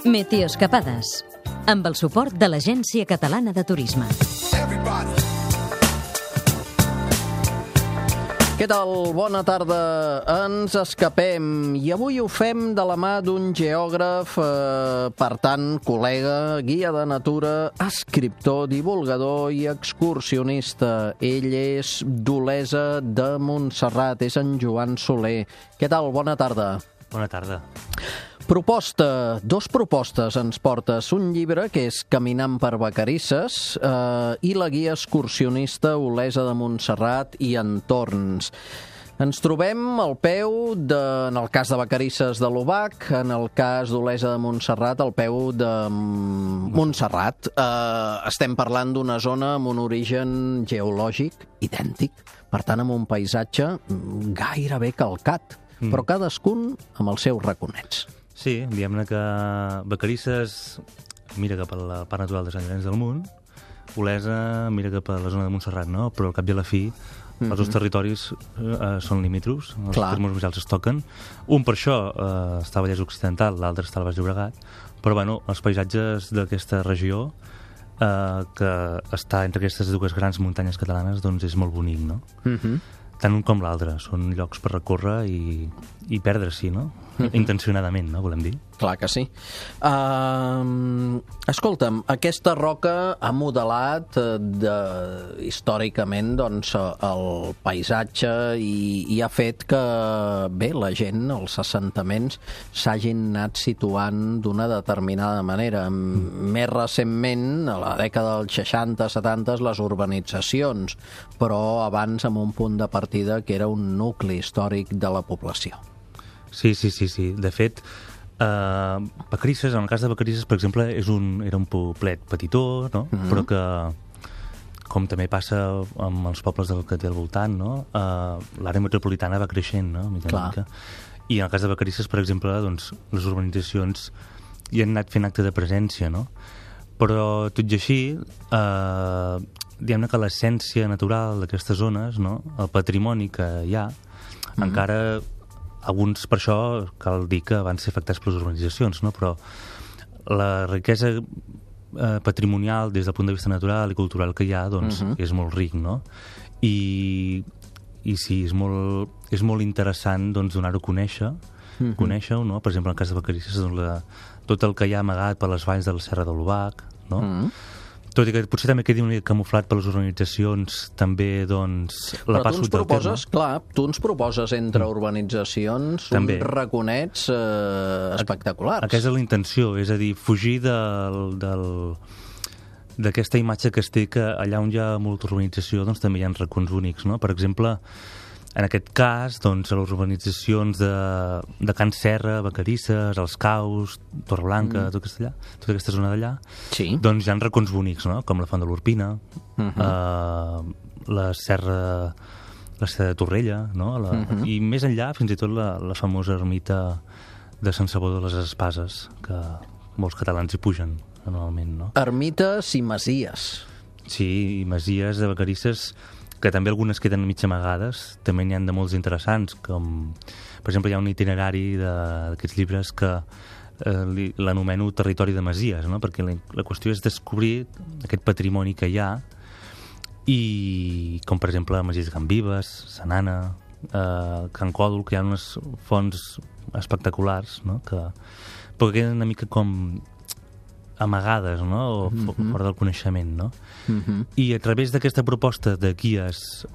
Meteoescapades, amb el suport de l'Agència Catalana de Turisme. Què tal? Bona tarda. Ens escapem i avui ho fem de la mà d'un geògraf, per tant, col·lega, guia de natura, escriptor, divulgador i excursionista. Ell és d'Olesa de Montserrat, és en Joan Soler. Què tal? Bona tarda. Bona tarda. Dos propostes ens portes. Un llibre que és Caminant per Vacarisses i la guia excursionista Olesa de Montserrat i entorns. Ens trobem al peu, en el cas de Vacarisses, de l'Obac, en el cas d'Olesa de Montserrat, al peu de Montserrat. Estem parlant d'una zona amb un origen geològic idèntic, per tant, amb un paisatge gairebé calcat, però cadascun amb els seus raconets. Sí, diguem-ne que Vacarisses mira cap a la part natural de Sant Llorenç del Munt, Olesa mira cap a la zona de Montserrat, no? Però al cap i a la fi els dos territoris són limítrofs, els termes municipals es toquen. Un per això està a Vallès Occidental, l'altre està al Baix Llobregat, però bueno, els paisatges d'aquesta regió que està entre aquestes dues grans muntanyes catalanes doncs és molt bonic, no? Tant un com l'altre. Són llocs per recórrer i perdre-s'hi, no? Intencionadament, no? Volem dir. Clar que sí. Escolta'm, aquesta roca ha modelat històricament doncs, el paisatge i ha fet que, bé, la gent, els assentaments, s'hagin anat situant d'una determinada manera. Més recentment, a la dècada dels 60-70, les urbanitzacions, però abans amb un punt de partida que era un nucli històric de la població. Sí. De fet, Vacarisses, en el cas de Vacarisses, per exemple, era un poblet petitó, no? Però que, com també passa amb els pobles que té al voltant, no? L'àrea metropolitana va creixent, no? Mica. I en el cas de Vacarisses, per exemple, doncs, les urbanitzacions hi han anat fent acte de presència, no? Però, tot i així, diguem-ne que l'essència natural d'aquestes zones, no? El patrimoni que hi ha, encara... Alguns, per això, cal dir que van ser afectats per les urbanitzacions, no? Però la riquesa patrimonial des del punt de vista natural i cultural que hi ha, doncs, és molt ric, no? I sí, és molt interessant doncs, donar-ho a conèixer, conèixer-ho, no? Per exemple, en el cas de Vacarisses, doncs, tot el que hi ha amagat per les valls de la Serra de l'Obac, no? Tot i que potser també quedi una mica camuflat per les organitzacions, també, doncs, la passo del terme. Clar, tu ens proposes entre urbanitzacions uns raconets espectaculars. Aquesta és la intenció, és a dir, fugir d'aquesta imatge que es té que allà on hi ha molta urbanització doncs també hi ha racons únics, no? Per exemple, en aquest cas, doncs, a les urbanitzacions de Can Serra, Vacarisses, Els Caus, Torreblanca, tota aquesta zona d'allà, doncs hi ha racons bonics, no? Com la Font de l'Orpina, la Serra de Torrella, no? I més enllà, fins i tot la famosa ermita de Sant Salvador de les Espases, que molts catalans hi pugen anualment, no? Ermites i masies. Sí, i masies de Vacarisses, que també algunes queden mig amagades, també n'hi ha de molts interessants, com, per exemple, hi ha un itinerari d'aquests llibres que l'anomeno Territori de Masies, no? Perquè la qüestió és descobrir aquest patrimoni que hi ha, i com, per exemple, Masies de Can Vives, Sanana, Can Còdol, que hi ha unes fonts espectaculars, no? Però que queden una mica com amagades, no? O fora del coneixement, no? I a través d'aquesta proposta de guies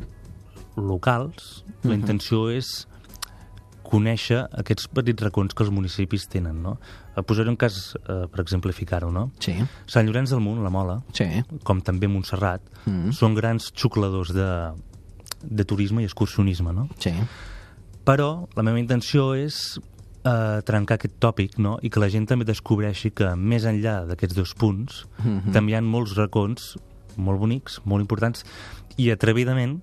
locals, la intenció és conèixer aquests petits racons que els municipis tenen, no? Posaré un cas per exemplificar-ho, no? Sí. Sant Llorenç del Munt, la Mola, com també Montserrat, són grans xucladors de turisme i excursionisme, no? Sí. Però la meva intenció és trencar aquest tòpic, no? I que la gent també descobreixi que més enllà d'aquests dos punts també hi ha molts racons molt bonics, molt importants, i atrevidament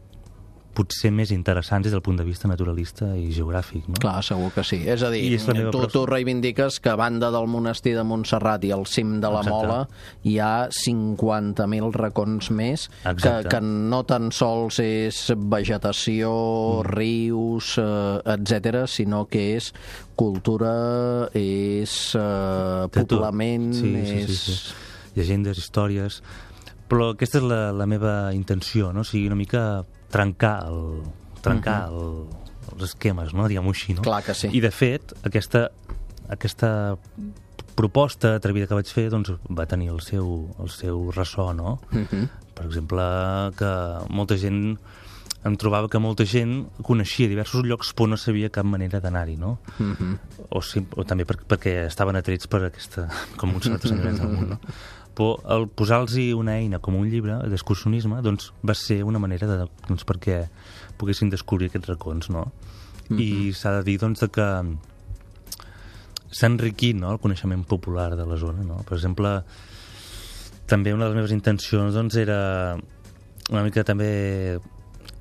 potser més interessants des del punt de vista naturalista i geogràfic, no? Clar, segur que sí. És a dir, I és la meva tu reivindiques que a banda del monestir de Montserrat i al cim de la Exacte. Mola hi ha 50.000 racons més Exacte. que no tan sols és vegetació, rius, etc, sinó que és cultura, és De tot. poblament, Sí. Llegendes, històries... Però aquesta és la meva intenció, no? O sigui, una mica trencar els esquemes, no? Diguem-ho així, no? Clar que sí. I, de fet, aquesta proposta atrevida que vaig fer doncs, va tenir el seu ressò, no? Per exemple, que molta gent... Em trobava que molta gent coneixia diversos llocs però no sabia cap manera d'anar-hi, no? O també perquè estaven atrets per aquesta... com uns altres indrets del món, no? Però el posar-los una eina com un llibre d'excursionisme doncs, va ser una manera doncs, perquè poguessin descobrir aquests racons, no? I s'ha de dir doncs, que s'ha enriquit, no, el coneixement popular de la zona, no? Per exemple, també una de les meves intencions doncs, era una mica també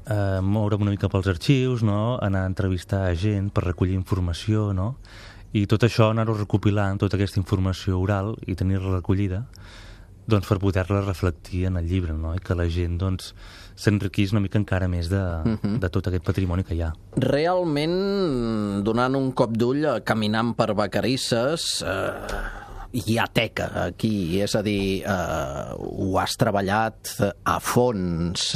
moure'm una mica pels arxius, no? Anar a entrevistar a gent per recollir informació, no? I tot això anar-ho recopilant, tota aquesta informació oral i tenir-la recollida doncs, per poder-la reflectir en el llibre, no? I que la gent doncs, s'enriquís una mica encara més de tot aquest patrimoni que hi ha. Realment, donant un cop d'ull, caminant per Vacarisses, hi ha teca aquí, és a dir, ho has treballat a fons,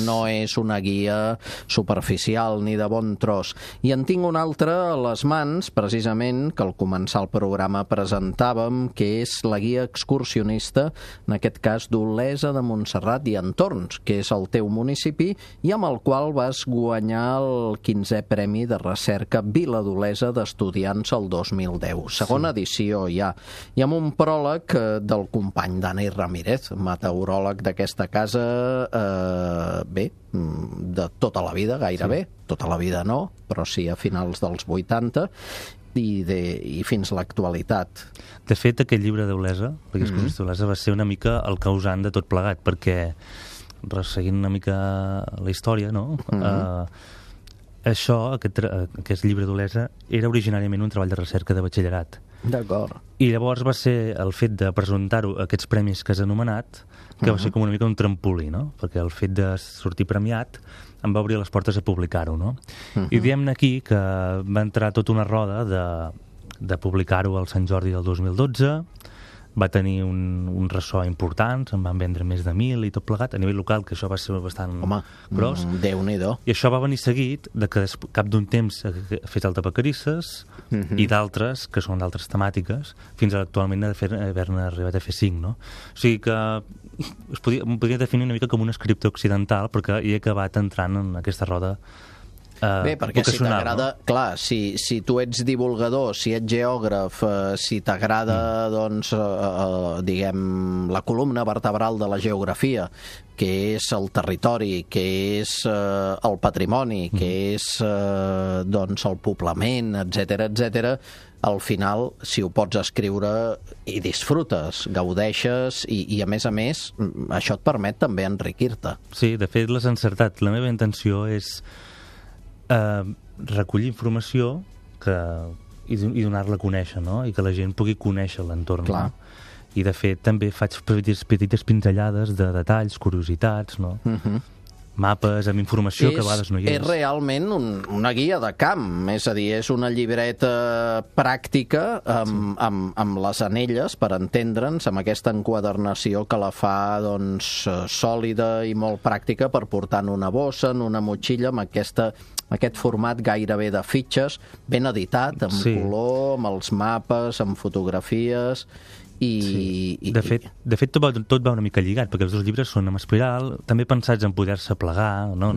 no és una guia superficial ni de bon tros. I en tinc una altra a les mans, precisament, que al començar el programa presentàvem, que és la guia excursionista, en aquest cas d'Olesa de Montserrat i entorns, que és el teu municipi, i amb el qual vas guanyar el 15è Premi de Recerca Vila d'Olesa d'Estudiants el 2010. Segona edició ja. I amb un pròleg del company Dani Ramírez, meteoròleg d'aquesta casa, de tota la vida, gairebé. Tota la vida no, però sí a finals dels 80, i fins a l'actualitat. De fet, aquest llibre d'Olesa, la excursionista d'Olesa, va ser una mica el causant de tot plegat, perquè, resseguint una mica la història, no? Aquest llibre d'Olesa, era originàriament un treball de recerca de batxillerat. D'acord. I llavors va ser el fet de presentar-ho a aquests premis que has anomenat, que va ser com una mica un trampolí, no? Perquè el fet de sortir premiat em va obrir les portes a publicar-ho, no? I diem aquí que va entrar tota una roda de publicar-ho al Sant Jordi del 2012, va tenir un ressò important, se'n van vendre més de 1.000 i tot plegat, a nivell local, que això va ser bastant gros. Déu-n'hi-do. I això va venir seguit de que cap d'un temps ha fet el de Vacarisses i d'altres, que són d'altres temàtiques, fins a actualment haver-ne arribat a fer 5, no? O sigui que em podria definir una mica com un escriptor occidental, perquè he acabat entrant en aquesta roda bé, perquè si t'agrada, no? Clar, si tu ets divulgador, si ets geògraf, si t'agrada, doncs, diguem, la columna vertebral de la geografia, que és el territori, que és el patrimoni, que és, doncs, el poblament, etc., al final, si ho pots escriure, hi disfrutes, gaudeixes i a més, això et permet també enriquir-te. Sí, de fet, l'has encertat. La meva intenció és recollir informació i donar-la a conèixer, no? I que la gent pugui conèixer l'entorn. Clar. No? I de fet també faig petites pinzellades de detalls, curiositats, no? Mapes amb informació que a vegades no hi és. És realment una guia de camp, és a dir, és una llibreta pràctica amb les anelles, per entendre'ns, amb aquesta enquadernació que la fa doncs, sòlida i molt pràctica per portar en una bossa, en una motxilla, amb aquest format gairebé de fitxes, ben editat, amb color, amb els mapes, amb fotografies. De fet tot va una mica lligat, perquè els dos llibres són amb espiral, també pensats en poder-se plegar, no?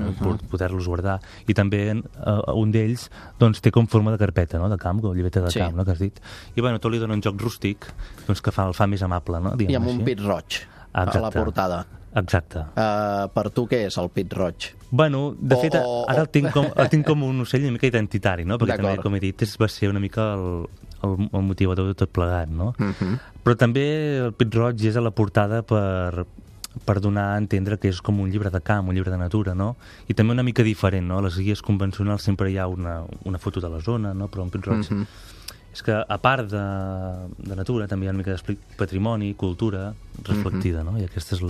Poder-los guardar, i també un d'ells doncs, té com forma de carpeta, no? De camp, com llibreta de camp, no? Que has dit. I bueno, tot li dona un joc rústic doncs, que el fa més amable, no? I amb un pit roig a la portada. Exacte. Per tu què és el pit roig? Bueno, de fet, ara el tinc com un ocell una mica identitari, no? Perquè també, com he dit, va ser una mica el motivador de tot plegat, no? Però també el pit roig és a la portada per per donar a entendre que és com un llibre de camp, un llibre de natura, no? I també una mica diferent, no? A les guies convencionals sempre hi ha una foto de la zona, no? Però en Pit-roig és que, a part de natura, també hi ha una mica de patrimoni, cultura reflectida, no? I aquesta és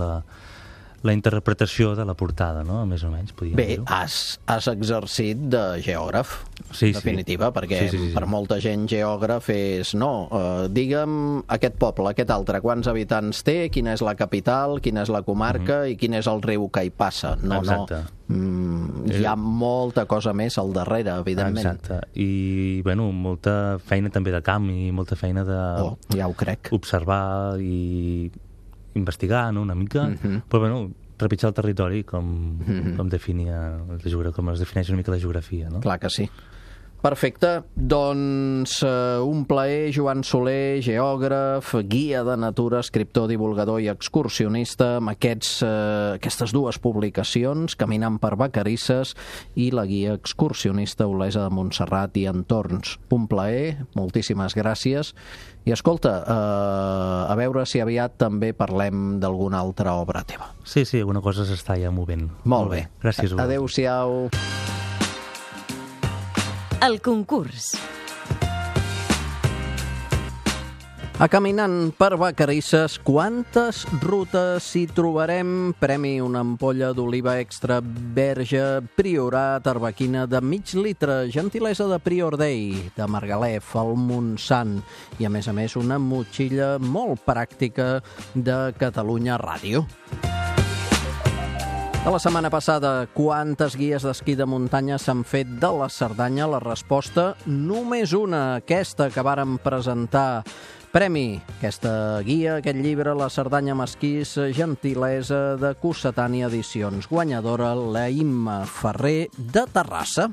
la interpretació de la portada, no? Més o menys, podríem dir-ho. Bé, has exercit de geògraf, sí, definitiva, perquè sí. per molta gent geògraf és digue'm aquest poble, aquest altre, quants habitants té, quina és la capital, quina és la comarca i quin és el riu que hi passa. Exacte. Hi ha molta cosa més al darrere, evidentment. Exacte. I, bueno, molta feina també de camp i molta feina de... ja ho crec. Observar i investigar, no?, una mica, però, bueno, trepitjar el territori com definia com es defineix una mica la geografia, no? Clar que sí. Perfecte. Doncs un plaer, Joan Soler, geògraf, guia de natura, escriptor, divulgador i excursionista, amb aquestes dues publicacions, Caminant per Vacarisses i la guia excursionista Olesa de Montserrat i entorns. Un plaer, moltíssimes gràcies. I escolta, a veure si aviat també parlem d'alguna altra obra teva. Sí, alguna cosa s'està ja movent. Molt bé. Gràcies. Adéu-siau. El concurs. A Caminant per Vacarisses, quantes rutes hi trobarem? Premi una ampolla d'oliva extra verge Priorat, arbequina de mig litre, gentilesa de Prior Day, de Margalef, al Montsant, i a més una motxilla molt pràctica de Catalunya Ràdio. De la setmana passada, quantes guies d'esquí de muntanya s'han fet de la Cerdanya? La resposta, només una, aquesta que vàrem presentar. Premi, aquesta guia, aquest llibre, La Cerdanya amb esquís, gentilesa de Cossetània Edicions. Guanyadora, la Imma Ferrer, de Terrassa.